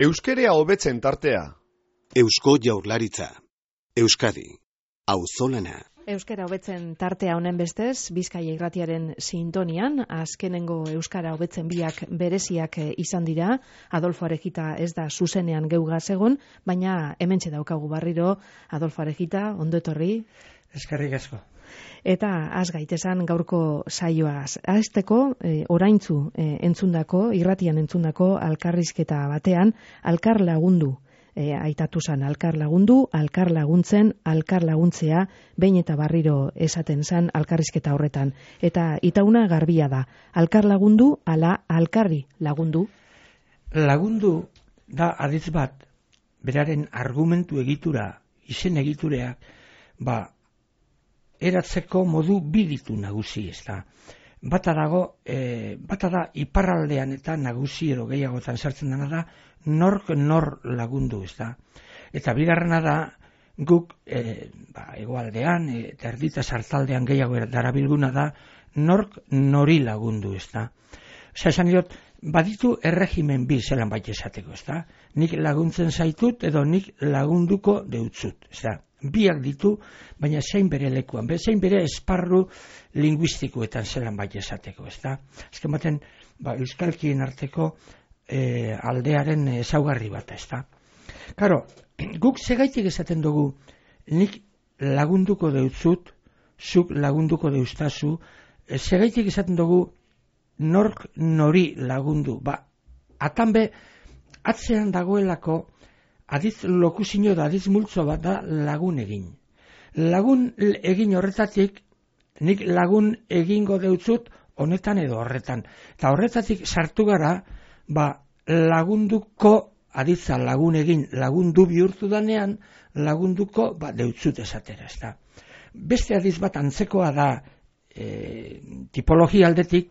Euskerea hobetzen tartea. Eusko Jaurlaritza. Euskadi. Auzolana. Euskara hobetzen tartea honen bestez, Bizkaia Irratiaren sintonian, azkenengo euskara hobetzen biak bereziak izan dira. Adolfo Arejita ez da zuzenean geugaz egon, baina hementxe daukagu berriro. Adolfo Arejita, ondo etorri. Eskerrik asko. Eta az gaitesan gaurko saioaz. Azteko, oraintzu entzundako, irratian entzundako alkarrizketa batean, alkar lagundu. Aitatu zan, alkar lagundu, alkar laguntzen, alkar laguntzea, behin eta berriro esaten zan alkarrizketa horretan. Eta itauna garbia da, alkar lagundu, ala alkarri lagundu. Lagundu da aditz bat, beraren argumentu egitura, izen egitureak, eratzeko modu biditu nagusi, ez da. Bata da iparraldean eta nagusi edo gehiagotan sartzen dena da, nork nor lagundu, ez da. Eta bigarrena da, guk hegoaldean eta erdita sartaldean gehiago darabilguna da, nork nori lagundu, ez da. Osea, esan diot, baditu erregimen bi zelan baita esateko, ez da. Nik laguntzen zaitut edo nik lagunduko deutzut, ez da. Biak ditu, baina zein bere lekuan, zein bere esparru linguistikoetan zelan baita esateko, ez da. Azken baten, euskalkien arteko aldearen ezaugarri bat, ez da. Karo, guk segaitik esaten dugu, nik lagunduko deutzut, zuk lagunduko deutzazu, segaitik esaten dugu, nork nori lagundu. Atanbe, atzean dagoelako, adiz lokuzino da, adiz multzo bat da lagun egin. Lagun egin horretatik, nik lagun egingo deutzut honetan edo horretan. Eta horretatik sartu gara, lagunduko, aditza lagun egin, lagundu bihurtu danean, lagunduko deutzut esatera, ez da. Beste adiz bat antzekoa da, tipologia aldetik,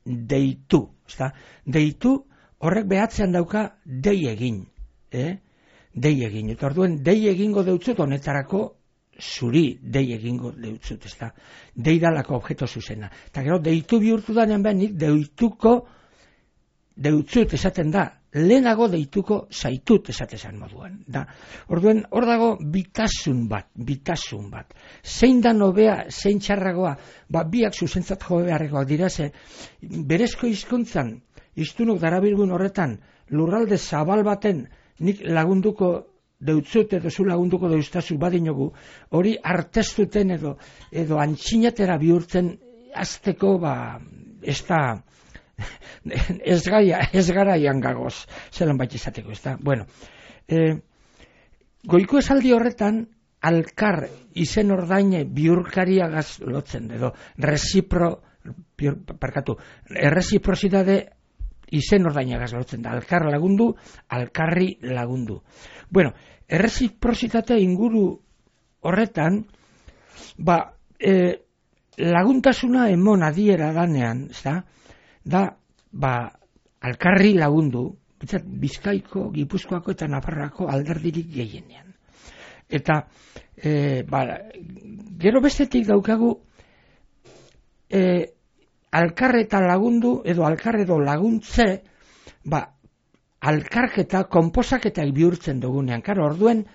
deitu, ez da. Deitu horrek behatzean dauka dei egin, dei egin, eta orduen dei egingo deutzut honetarako zuri dei egingo deutzut, ez da. Dei dalako objeto zuzena. Eta gero, deitu bihurtu danean benik, deutzut esaten da, lehenago deituko zaitut esatezan moduan. Orduen, hor dago bitasun bat. Zein da nobea, zein txarragoa, biak zuzentzat jo beharrekoak dira, ze berezko hizkuntzan, hiztunok darabilgun horretan, lurralde zabal baten, nik lagunduko deutzut edo zu lagunduko deutzazu badinogu, hori artestuten edo antxinatera bihurtzen azteko, ez garaian gagoz, zelan baita izateko, ez da. Bueno, goiko esaldi horretan, alkar izen ordaine bihurkariagaz lotzen, edo erreziprozidade izen ordainagaz lotzen da, alkar lagundu, alkarri lagundu. Bueno, erreziprozitate inguru horretan, laguntasuna emon adiera danean, ez da, alkarri lagundu, Bizkaiko, Gipuzkoako eta Nafarroako alderdirik gehienean. Eta, gero bestetik daukagu, alkar eta lagundu, edo alkar edo laguntze, alkarketa, konposaketak bihurtzen dugunean. Karo, orduen,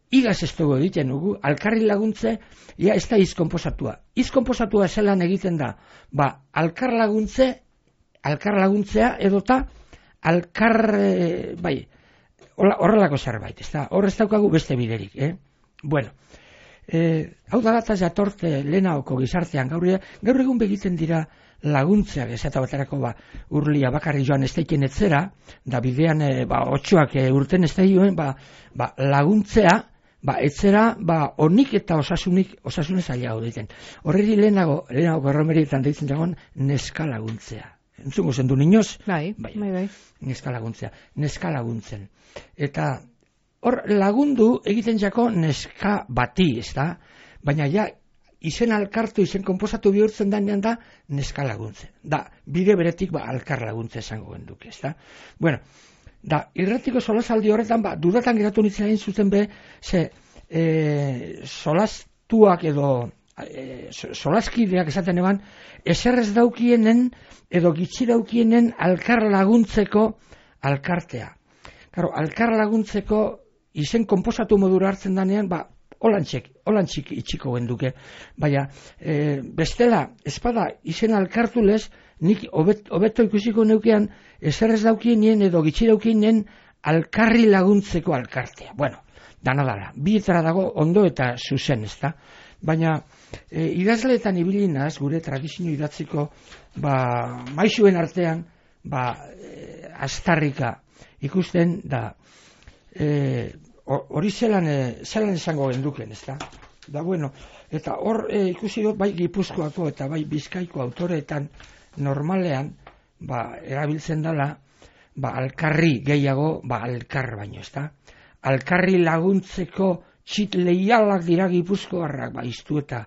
igaz ez dugu egiten dugu, alkarri laguntze, ez da izkonposatua. Izkonposatua zelan egiten da, alkar laguntzea edota, horrelako zerbait, ez da, horrez daukagu beste biderik, Bueno, hau da dataz jatorte lehenaoko gizartean, gaur egun begiten dira laguntzeak, ez eta baterako urlia bakarri joan ez daiken etzera, da bidean otxoak urten ez daioen, laguntzea, etzera, onik eta osasunez ailago diten. Horreri lehenago erromerietan deitzen dagoen neska laguntzea. Entzungo zendu niñoz? Bai. Neska laguntzen. Eta hor lagundu egiten jako neska bati, ez da? Baina izen alkartu, izen konposatu bihurtzen danean da neska laguntzen. Bide beretik alkar laguntze esango genduk, ez da? Bueno, irratiko solasaldi horretan, dudatan geratu nintzen egin zuten solastuak edo solaskideak esaten eban, eserrez daukienen edo gitxi daukienen alkar laguntzeko alkartea. Claro, alkar laguntzeko izen konposatu modura hartzen danean, holantxik itxiko genduke. Baina, bestela, espada izen alkartu lez, nik hobeto ikusiko neukean, ezer ez daukienien edo gitxi daukienien alkarri laguntzeko alkartea. Bueno, dana dara, bietara dago ondo eta zuzen, ezta? Baina, idazleetan ibilinaz, gure tradizio idatziko, maixuen artean, astarrika ikusten da, hori zelan esango genduken, ezta? Da, bueno, eta hor ikusi dut bai Gipuzkoako eta bai Bizkaiko autoreetan normalean, erabiltzen dela, alkarri gehiago, alkar baino, ezta? Alkarri laguntzeko txit leialak dira Gipuzkoarrak, iztu eta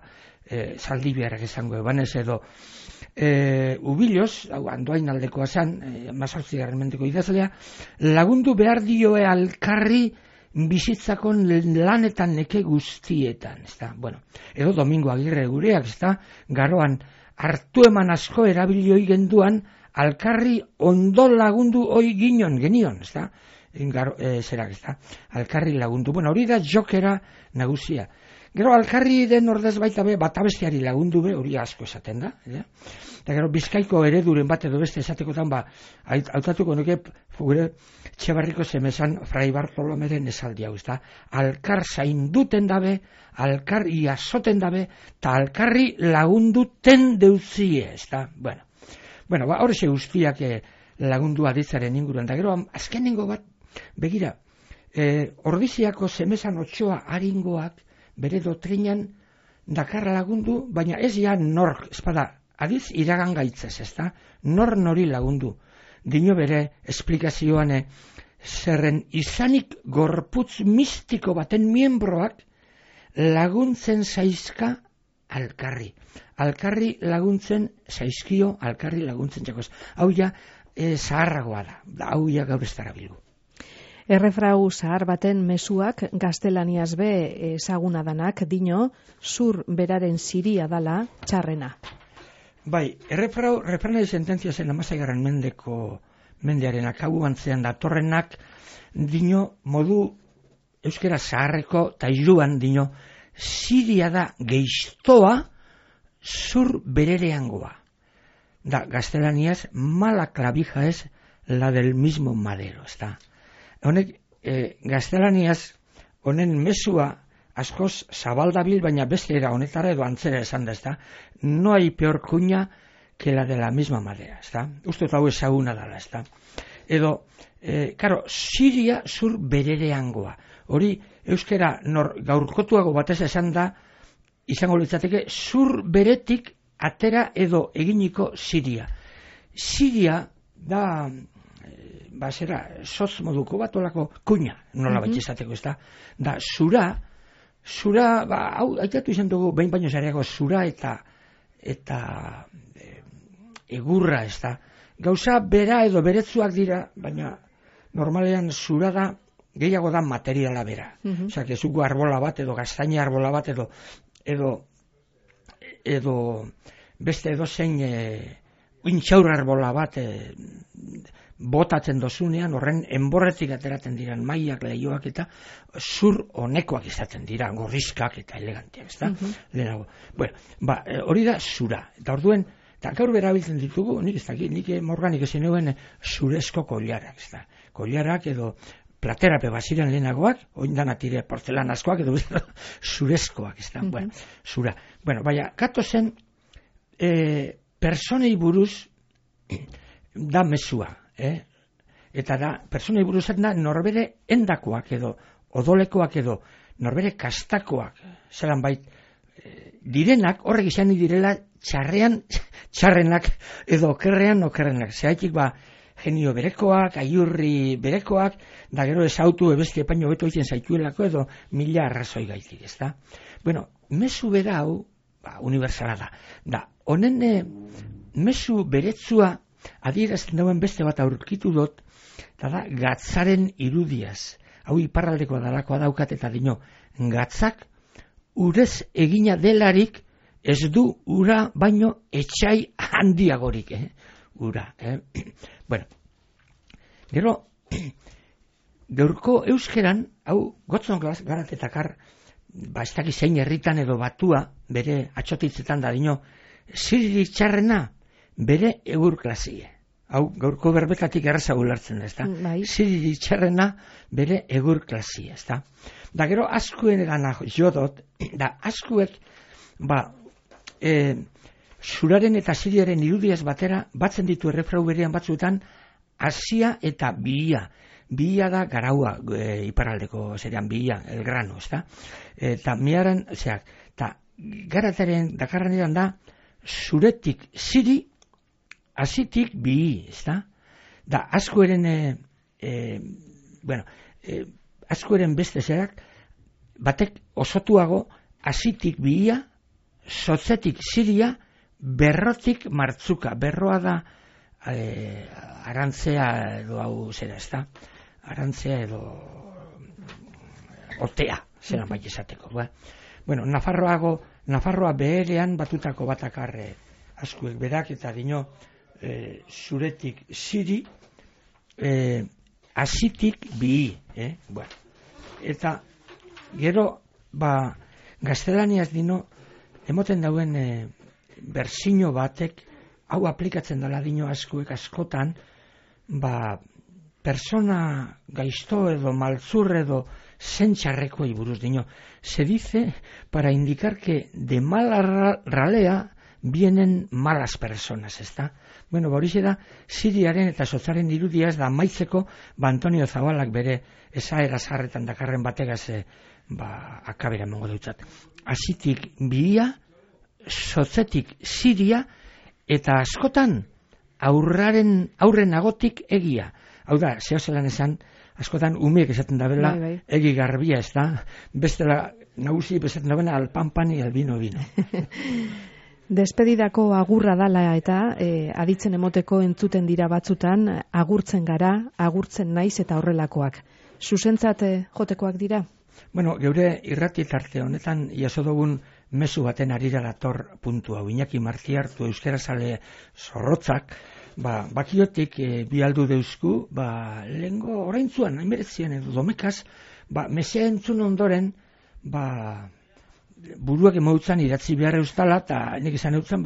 Zaldibiarrak esango ebanez edo Ubiloz, Andoain aldekoa zan, 18. mendeko idazlea, lagundu behar dioe alkarri bizitzakon lanetan neke guztietan, ezta? Bueno, edo Domingo Agirre gureak, ezta? Garoan hartu eman asko erabilioi genduan, alkarri ondo lagundu hoi genion, ezta? Zerak, ezta? Alkarri lagundu. Bueno, hori da jokera nagusia. Gero alkarri den ordez baita be, batabesteari lagundu be, hori asko esaten da. Eta gero Bizkaiko ereduren bat edo beste esatekotan, hautatuko nuke gure Txebarriko Zemesan Fray Bartolomeren esaldi hau, ezta? Alkar zainduten dabe, alkar iasoten dabe, eta alkarri lagunduten deuzie, ezta? Bueno, hori guztiak lagundu aditzaren inguruan. Da gero, azkenengo bat, begira, Ordiziako Zemesan Otsoa aringoak, bere dotrinan dakarra lagundu, baina ez ja nork, espada, adiz iragan gaitzez, ezta? Nor nori lagundu. Dino bere esplikazioan zerren izanik gorputz mistiko baten miembroak laguntzen zaizka alkarri. Alkarri laguntzen zaizkio, alkarri laguntzen txakoz. Hau ja zaharragoa da, hau ja gaur ez dara bilgu. Errefrau zahar baten mezuak gaztelaniaz be ezaguna danak dino, zur beraren ziria dala txarrena. Bai, refranai sententzia zen 16. mendearen akabu antzean datorrenak dino modu euskera zaharreko eta hiruan dino ziria da geiztoa zur berereangoa. Da, gaztelaniaz, mala clavija es la del mismo madero, ezta? Honek, gaztelaniaz, honen mesua askoz zabaldabil, baina beste era honetara edo antzera esan da, ezta? No hay peor cuña que la de la misma madera, ezta? Uste hau ezaguna dala, ezta? Edo, karo, ziria zur berereangoa. Hori, euskera gaurkotuago batez esan da, izango litzateke, zur beretik atera edo eginiko ziria. Ziria da, sotz moduko bat olako kuña, nola bat izateko, ez da? Da, zura, hau, aitatu izan dugu, behin baino zareago, zura eta egurra, ez da? Gauza bera edo beretzuak dira, baina normalean zura da, gehiago da materiala bera. Osea, kezuko arbola bat edo gaztaina arbola bat edo beste edo zein intxaur arbola bat botatzen dozunean, horren enborretik ateratzen diran mailak, leioak eta zur honekoak izaten dira, gorrizkak eta eleganteak, ezta? Lehenago. Bueno, hori da zura. Eta orduen, eta gaur berabiltzen ditugu, nik ez dakit, nik morganik ezin euen zurezko kollarak, ezta? Kollarak edo platerape baziren lehenagoak, oindan atire porzelanazkoak edo zurezkoak, ezta? Bueno, zura. Bueno, baina, kato zen, personei buruz da mesua, eta da, personei buruz da norbere endakoak edo odolekoak edo norbere kastakoak, zelan bait, direnak, horrek izan direla txarrenak edo okerrenak. Zeraitik genio berekoak, aiurri berekoak, da gero ez autu ebesti epaino beto egiten zaituelako edo 1000 arrazoi gaitik, ezta? Bueno, mezu bera hau, universala da. Da, honen mezu beretzua adierazten dauen beste bat aurkitu dut, eta da, gatzaren irudiaz. Hau iparraldekoa dalakoa daukat eta dino, gatzak urez egina delarik ez du ura baino etxai handiagorik, ura. Bueno, gero, gaurko euskeran, hau gotzon garatetakar, ez dakiz zein herritan edo batua, bere atxotitzetan da dino, ziririk txarrena, bere egur klasie. Hau, gaurko berbetatik erraza ulertzen da, ezta? Ziririk txarrena, bere egur klasie, ezta? Da gero, askuen egana jodot, da askuek, zuraren eta ziriaren irudiaz batera, batzen ditu errefrau berean batzuetan, Asia eta Bihia. Bihia da garaua, iparraldeko zerean Bihia, el grano, ezta? Eta miaran, eta garataren dakarran edan da, zuretik ziri, azitik Bihi, ezta? Da, askoeren, askoeren beste zerak, batek osotuago, azitik Bihia, sotzetik ziria, berrotik martzuka. Berroa da, arantzea edo hau zera, ezta? Arantzea edo otea, zeran bai esateko. Bueno, Nafarroa beherean batutako batakarre askuek berak, eta dino zuretik ziri, azitik Bihi. Eta gero, gaztelaniaz dino, emoten dauen berzino batek, hau aplikatzen dela dino askuek askotan, persona gaizto edo maltzur edo zentxarreko buruz dino. Se dice para indicar que de mala ralea vienen malas personas, ezta? Bueno, horixe da, Siriaren eta sotzaren irudia ez da maitzeko, Antonio Zabalak bere esaera zarretan dakarren bategaz akabera mongo dutzat. Azitik Bihia, sotzetik Siria, eta askotan aurren agotik egia. Hau da, zehozelan esan, askotan umeek esaten dabela, egi garbia, ez da, bestela nagusi esaten dabena alpanpan y albino vino. Despedidako agurra dala eta aditzen emoteko entzuten dira batzutan, agurtzen gara, agurtzen naiz eta horrelakoak. Zuzentzat jotekoak dira? Bueno, geure irrati tarte honetan jaso dugun mezu baten arira dator puntu hau. Iñaki Martiartu euskerazale zorrotzak, bakiotik bialdu deuzku, lehengo oraintzuan, hainberetzien edo domekaz, mesea entzun ondoren, buruak emautzan idatzi behar eustala, eta nik izan eutzen,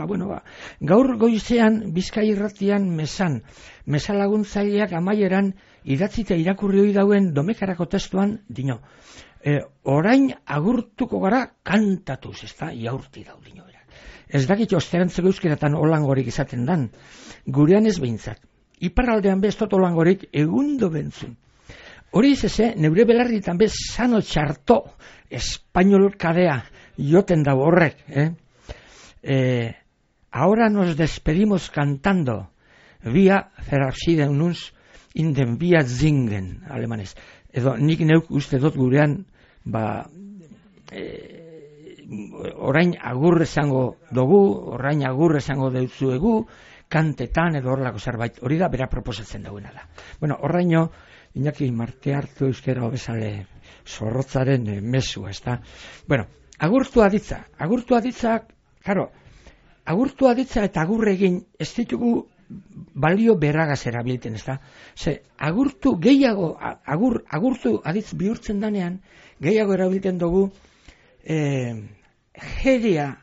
gaur goizean Bizkai irratian mesa laguntzaileak amaieran idatzita irakurri hori dauen domekarako testuan, dino, orain agurtuko gara kantatuz, ez da, iaurti dau dino berak. Ez dakit osterantzeko euskeratan olangorik izaten dan, gurean ez behintzat. Iparraldean bestot olangorik egundo bentzun. Hori izese, neure belarritan bez sano txarto, espainol kadea, joten da horrek. Ahora nos despedimos cantando, via verabschieden uns in den via singen, alemanez. Edo nik neuk uste dut gurean, orain agur esango dugu, orain agur esango deutzuegu, kantetan edo horrelako zerbait, hori da bera proposatzen dagoena da. Bueno, horraino, Iñaki Martiartu euskera hobezale zorrotzaren mesua, ez da? Bueno, agurtu aditza, karo, agurtu aditza eta agurre egin ez ditugu balio berragaz erabilten, ez da? Ze, agurtu gehiago, agurtu aditz bihurtzen danean, gehiago erabilten dugu jerea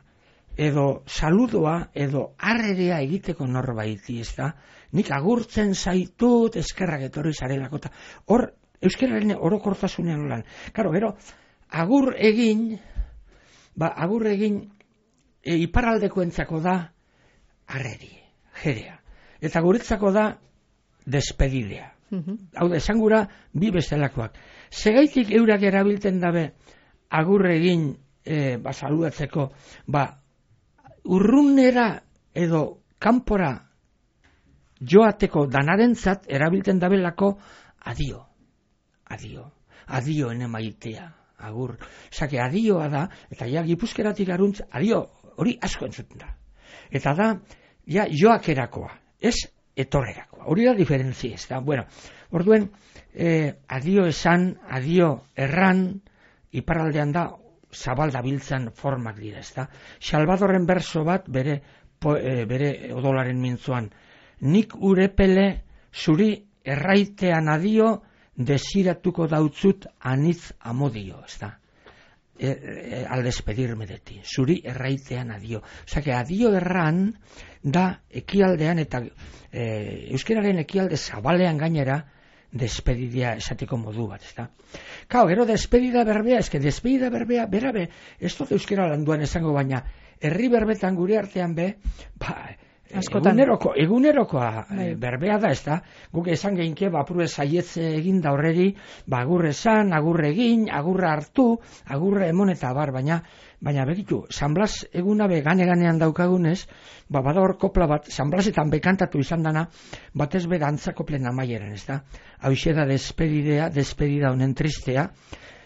edo saludoa edo arrerea egiteko norbaiti, ez da? Nik agurtzen zaitut eskerrak etorri zarelako. Hor, euskeraren orokortasunean lan. Karo, gero, agur egin iparraldekoentzako da arreri, jerea. Eta guretzako da despedidea. Hau da, esan gura bi bestelakoak. Segaitik eurak erabilten dabe agur egin saludatzeko, urrunera edo kanpora joateko danarentzat erabilten dabelako adio ene maitea, agur. Zake, adioa da, eta ja gipuzkeratik aruntz, adio, hori asko entzuten da. Eta da, ja joakerakoa, ez etorrerakoa. Hori da diferentzia, ez da. Bueno, orduen, adio esan, adio erran, iparraldean da, zabal dabiltzan formak dira, ez da. Salvadorren berso bat, bere odolaren mintzuan, nik urepele zuri erraitean adio desiratuko dautzut anitz amodio, ez da? Al despedirme de ti, zuri erraitean adio. Osea, que adio erran da ekialdean eta euskeraren ekialde zabalean gainera despedidea esateko modu bat, ezta? Kao, gero despedida berbea, despedida berbea, berabe, ez dut euskera landuan esango baina, herri berbetan gure artean be, egunerokoa berbea da, ezta? Guk esan geinke, apurue saietze egin da horreri, agurre esan, agurre egin, agurra hartu, agurre emon eta baina begitu, San Blas eguna be gane-ganean daukagunez, bada hor kopla bat, San Blasetan bekantatu izan dana, batez be dantzako plena maieran, ezta? Hauxe da despedida honen tristea,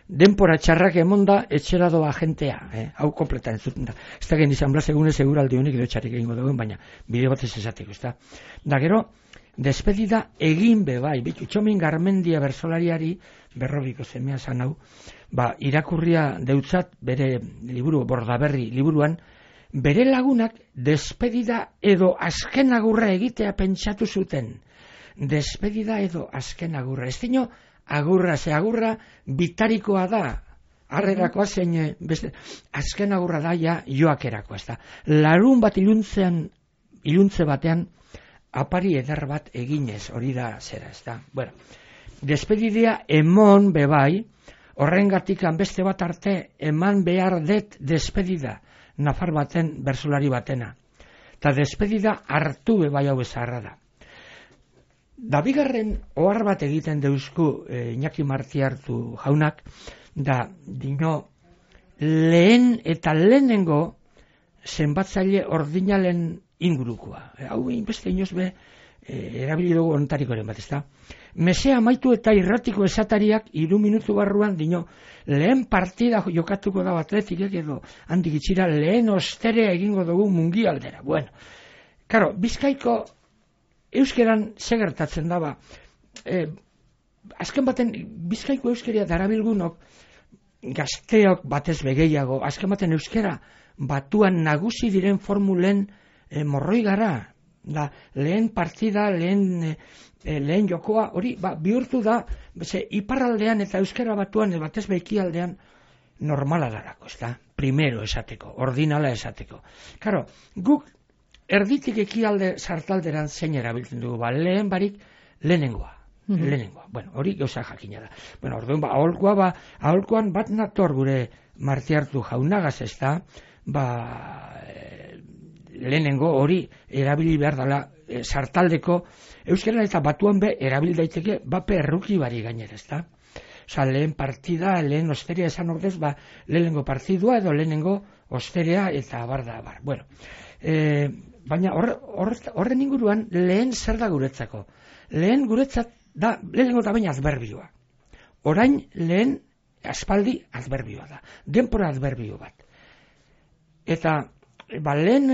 denpora txarrak emonda etxera doa jentea, hau kompletan entzuten da. Ez da gen izan Blas egunez eguraldi honik edo txarrik egingo dugun, baina bide batez esateko, ez da. Da gero, despedida egin be bai, bitu, Txomin Garmendia bersolariari, berrobiko zemea zan hau, irakurria deutzat bere liburu, Bordaberri liburuan, bere lagunak despedida edo azken agurra egitea pentsatu zuten. Despedida edo azken agurra. Ez dino, agurra bitarikoa da, harrerakoa zein, azken agurra da ja joakerakoa, ez da. Larun bat iluntze batean, apari eder bat eginez, hori da zera, ez da. Bueno, despedidea emon bebai, horrengatik beste bat arte, eman behar det despedida, nafar baten, bersolari batena. Eta despedida hartu bebai hau ezarra da. Da bigarren ohar bat egiten deuzku Iñaki Martiartu jaunak, da dino lehen eta lehenengo zenbatzaile ordinalen ingurukoa. Hau beste inoz be erabili dugu ontarikoren bat, ezta? Mesea amaitu eta irratiko esatariak 3 minutu barruan dino lehen partida jokatuko da Atletikek edo handik itxira lehen osterea egingo dugu mundialdera. Bueno, karo, Bizkaiko euskeran segertatzen daba, azken baten Bizkaiko euskeria darabilgunok gazteok batez begeiago, azken baten euskera batuan nagusi diren formulen morroi gara, da lehen partida, lehen jokoa, hori bihurtu da, iparraldean eta euskera batuan batez bekialdean normala darako, ez da, primero esateko, ordinala esateko. Karo, guk erditik ekialde sartalderan zein erabiltzen dugu, lehen barik lehenengoa. Bueno, hori gauza jakina da. Bueno, orduan, aholkoan bat nator gure Martiartu jaunagaz, ez da, lehenengo hori erabili behar dela sartaldeko euskera eta batuan be erabil daiteke perruki bari gainera, ez da? Osa, lehen partida, lehen osterea esan ordez, lehenengo partidua edo lehenengo osterea eta bar. Bueno, baina horren inguruan lehen zer da guretzako? Lehen guretzat da, lehenengo da baina adberbioa. Orain lehen aspaldi adberbioa da. Denpora adberbio bat. Eta, lehen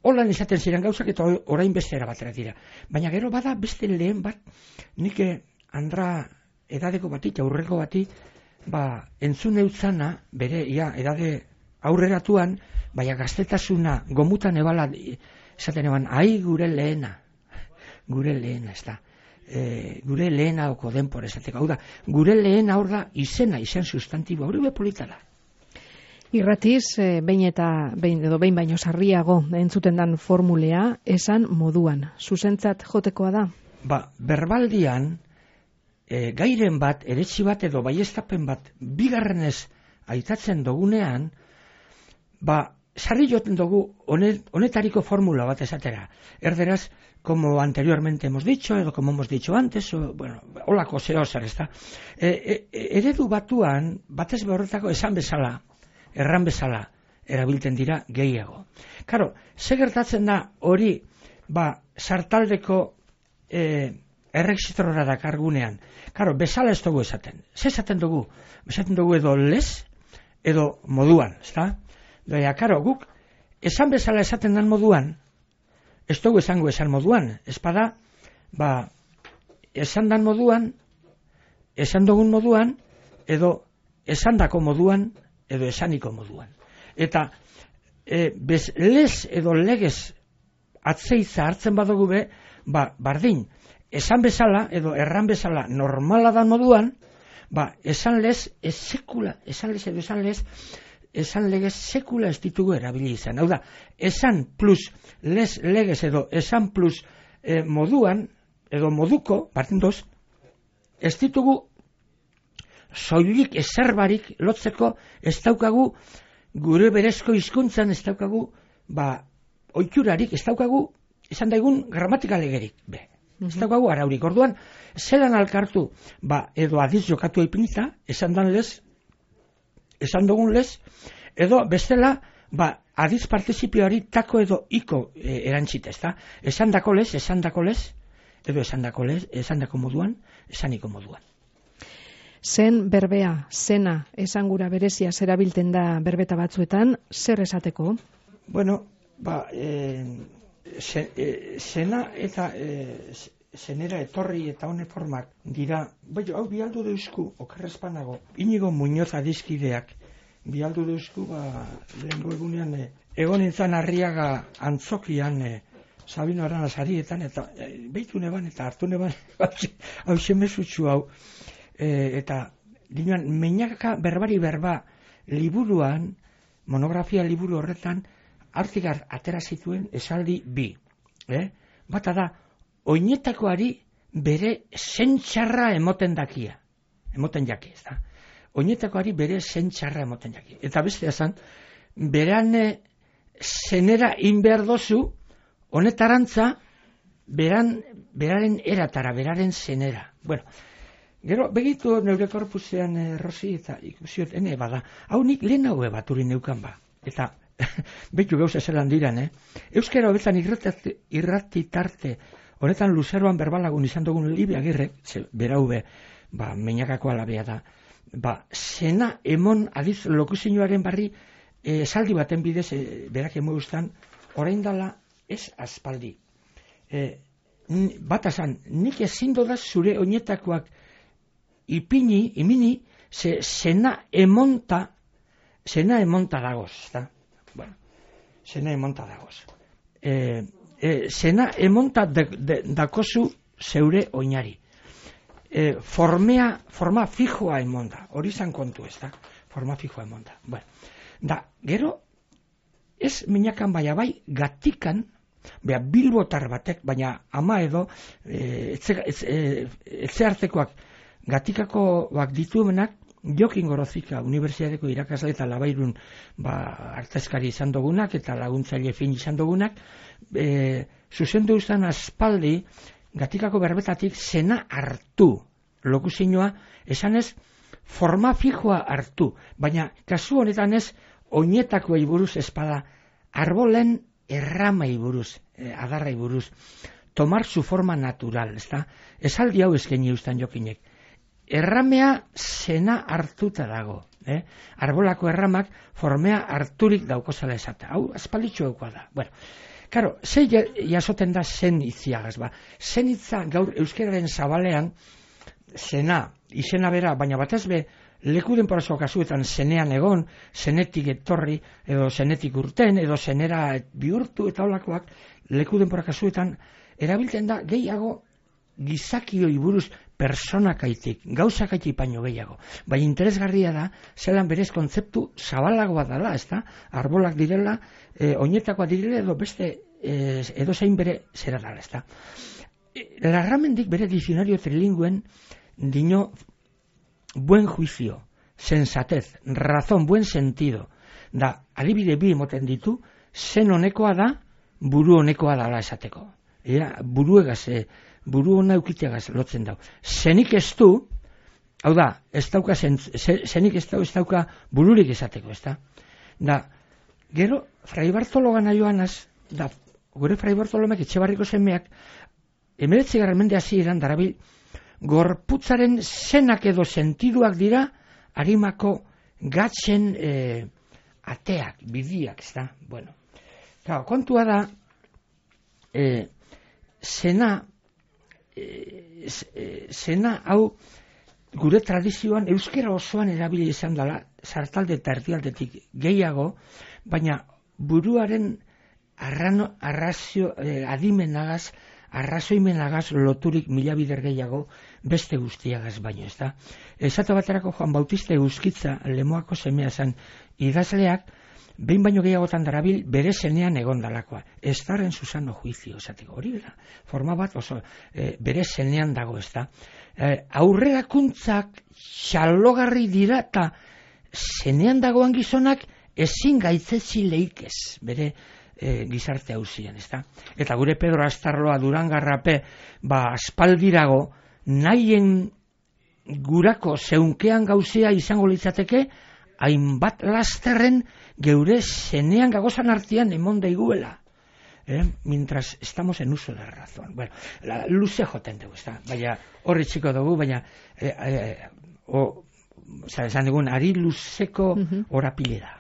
holan izaten ziren gauzak eta orain beste erabatera dira. Baina gero bada beste lehen bat, nik andra edadeko bati, aurreko bati, entzun eutzana, bere, edade aurreratuan, baina gaztetasuna gomutan ebala, esaten eban, gure lehena, ez da. Gure lehena oko denpor esateko. Hau da, gure lehena hor da izen sustantibo, hori bepolita da. Irratiz, behin baino sarriago entzuten dan formulea, esan moduan. Zuzentzat jotekoa da? Berbaldian, gairen bat, eretsi bat edo baiestapen bat, bigarrenez aitatzen dugunean, sarri joten dugu honetariko formula bat esatera. Erderaz, como anteriormente hemos dicho, edo como hemos dicho antes, holako zeo zer, ez da. Eredu batuan, batez behorretako esan bezala, erran bezala, erabiltzen dira gehiago. Karo, ze gertatzen da hori, sartaldeko errexitrora dakargunean. Karo, bezala ez dugu esaten. Ze esaten dugu? Esaten dugu edo lez, edo moduan, ez da? Baina, karo, guk, esan bezala esaten dan moduan, ez dugu esango esan moduan. Espada, esan dan moduan, esan dugun moduan, edo esandako moduan, edo esaniko moduan. Eta lez edo legez atzeitza hartzen badugu be, bardin, esan bezala, edo erran bezala normala da moduan, esan lez sekula ez ditugu erabili izan. Hau da, esan plus legez edo esan plus moduan, edo moduko, partendoz, ez ditugu soilik ezerbarik lotzeko, ez daukagu gure berezko hizkuntzan, ez daukagu oiturarik, ez daukagu esan daigun gramatikalegerik, ez daukagu araurik. Orduan, zelan alkartu, edo adiz jokatu ipinita, esan dugun lez, edo bestela, adiz partizipioari tako edo iko erantzita, ezta? Esan dako lez, edo esan dako moduan, esaniko moduan. Zen berbea, zena, esangura berezia zerabilten da berbeta batzuetan, zer esateko? Bueno, zena eta zenera etorri eta hone formak dira, hau bialdu deusku, okerrezpanago, Inigo Muñoz adizkideak, bialdu deusku, lehengo egunean, egon nintzen Arriaga antzokian, Sabino Aranazarietan, eta behitu neban, eta hartu neban, hau semezutxu hau, eta dinuan, Meñaka berbari berba liburuan, monografia liburu horretan, hartigar atera zituen esaldi bi. Bata da, oinetakoari bere zentxarra emoten jaki, ez da. Oinetakoari bere zentxarra emoten jaki. Eta beste esan, beran zenera inbehar dozu, honetarantza, beraren eratara, beraren zenera. Bueno, gero, begitu neure korpusean, Rosi, eta ikusiot, bada, hau nik lehen hau baturi neukan eta behitu gauza zelan diran, Euskara hobetan irratitarte, honetan luzeroan berbalagun izan dugun Libi Agirrek, berau Meñakako alabea da, zena emon adiz lokuzioaren barri esaldi baten bidez, berak emogustan, orain dala ez aspaldi. Bat esan, nik ezin dodaz zure oinetakoak imini, zena emonta dagoz, da? Bueno, zena emonta dagoz. Zena emonta dakozu zeure oinari. Forma fijoa emonda, hori zan kontu ez da? Forma fijoa emonda. Bueno, da, gero, ez Meñakan bai, gatikan, bilbotar batek, baina ama edo, etxe hartekoak, gatikakoak dituenak, Jokin Gorozika, Unibertsitateko irakasle eta Labairun artezkari izan dugunak eta laguntzaile fin izan dugunak, zuzendu izan aspaldi gatikako berbetatik zena hartu lokuzioa, esanez forma fijoa hartu, baina kasu honetan ez oinetakoei buruz espada arbolen erramai buruz, adarrai buruz, tomar su forma natural, ezta? Esaldi hau eskaini uztan Jokinek. Erramea zena hartuta dago. Arbolako erramak formea harturik daukozala esata. Hau, aspalditxo eukua da. Bueno, karo, ze jasoten da zen itziagaz, Zen itza gaur euskararen zabalean zena, izena bera, baina batez be, leku denporazko kasuetan zenean egon, zenetik etorri, edo zenetik urten, edo zenera bihurtu eta holakoak, leku denpora kasuetan, erabiltzen da gehiago gizakioi buruz personakaitik, gauzakaitik baino gehiago. Bai interesgarria da, zelan berez kontzeptu zabalagoa dela, ez da? Arbolak direla, oinetakoa direla, edo beste, edo zein bere zera dela, ez da? Larramendik bere dizionario trilingüen dino buen juicio, sensatez, razón, buen sentido, da, adibide bi emoten ditu, zen honekoa da, buru honekoa dala esateko. Buru hona eukiteagaz lotzen dau. Zenik ez du, hau da, zenik ez dauka bururik esateko, ez da? Da, gero, Fray Bartolo gana joanaz, da, gure Fray Bartolomek Etxebarriko semeak, 19. mende hasieran darabil, gorputzaren zenak edo sentiduak dira, harimako gatzen ateak, bidiak, ez da? Bueno, kontua da, zena hau gure tradizioan euskera osoan erabili izan dela sartalde eta erdialdetik gehiago, baina buruaren arrazio adimenagaz arrazoimenagaz loturik mila bider gehiago beste guztiagaz baino, ez da. Esate baterako Juan Bautista Euskitza, Lemoako semea zen idazleak, behin baino gehiagotan darabil bere zenean egondalakoa. Estaren Susano juizio, esateko hori da. Forma bat oso bere zenean dago, ez da. Aurrerakuntzak xalogarri dira eta zenean dagoan gizonak ezin gaitzezi leikez, bere gizarte hauzien, ez da. Eta gure Pedro Astarloa Durangarrape, aspaldirago, nahien gurako zeunkean gauzea izango litzateke, hainbat lasterren geure zenean gagozan artean emon daiguela. Mientras estamos en uso de la razón. Bueno, luze joten dugu, ez da. Baina horri txiko dugu, baina esan dugun, ari luzeko orapilera.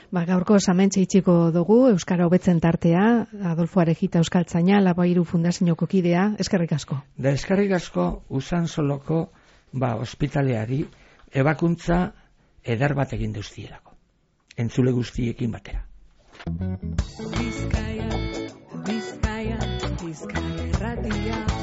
Gaurko samentxe itxiko dugu, Euskara hobetzen tartea, Adolfo Arejita Euskaltzaina, Labairu Fundazioko kidea, eskerrik asko. Da eskerrik asko, Usansoloko ospitaleari ebakuntza eder bat egin duztielako. Entzule guztiekin batera. Bizkaia, Bizkaia, Bizkaia erratia.